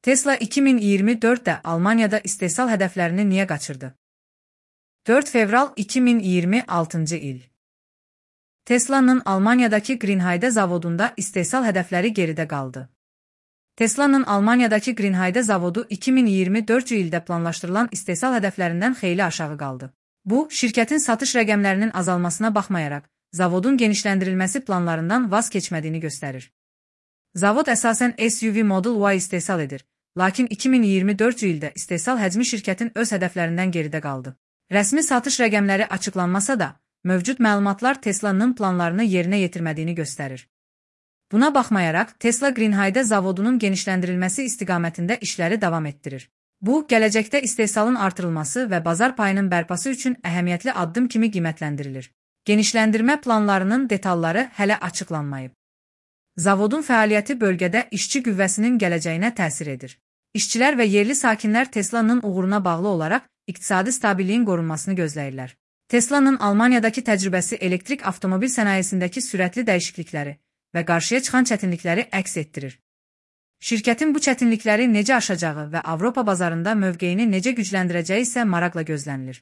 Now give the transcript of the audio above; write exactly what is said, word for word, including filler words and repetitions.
Tesla iki min iyirmi dörddə Almaniyada istehsal hədəflərini niyə qaçırdı? dörd fevral iki min iyirmi altıncı il. Tesla'nın Almaniyadakı Grünheide zavodunda istehsal hədəfləri geridə qaldı. Tesla'nın Almaniyadakı Grünheide zavodu iki min iyirmi dördüncü ildə planlaşdırılan istehsal hədəflərindən xeyli aşağı qaldı. Bu, şirkətin satış rəqəmlərinin azalmasına baxmayaraq, zavodun genişləndirilməsi planlarından vaz keçmədiyini göstərir. Zavod əsasən S U V Model Y istehsal edir, lakin iki min iyirmi dördüncü ildə istehsal həcmi şirkətin öz hədəflərindən geridə qaldı. Rəsmi satış rəqəmləri açıqlanmasa da, mövcud məlumatlar Tesla'nın planlarını yerinə yetirmədiyini göstərir. Buna baxmayaraq, Tesla Grünheide zavodunun genişləndirilməsi istiqamətində işləri davam etdirir. Bu, gələcəkdə istehsalın artırılması və bazar payının bərpası üçün əhəmiyyətli addım kimi qiymətləndirilir. Genişləndirmə planlarının detalları hələ açıqlanmayıb. Zavodun fəaliyyəti bölgədə işçi qüvvəsinin gələcəyinə təsir edir. İşçilər və yerli sakinlər Tesla'nın uğuruna bağlı olaraq iqtisadi stabilliyin qorunmasını gözləyirlər. Tesla'nın Almaniyadakı təcrübəsi elektrik avtomobil sənayesindəki sürətli dəyişiklikləri və qarşıya çıxan çətinlikləri əks etdirir. Şirkətin bu çətinlikləri necə aşacağı və Avropa bazarında mövqeyini necə gücləndirəcəyi isə maraqla gözlənilir.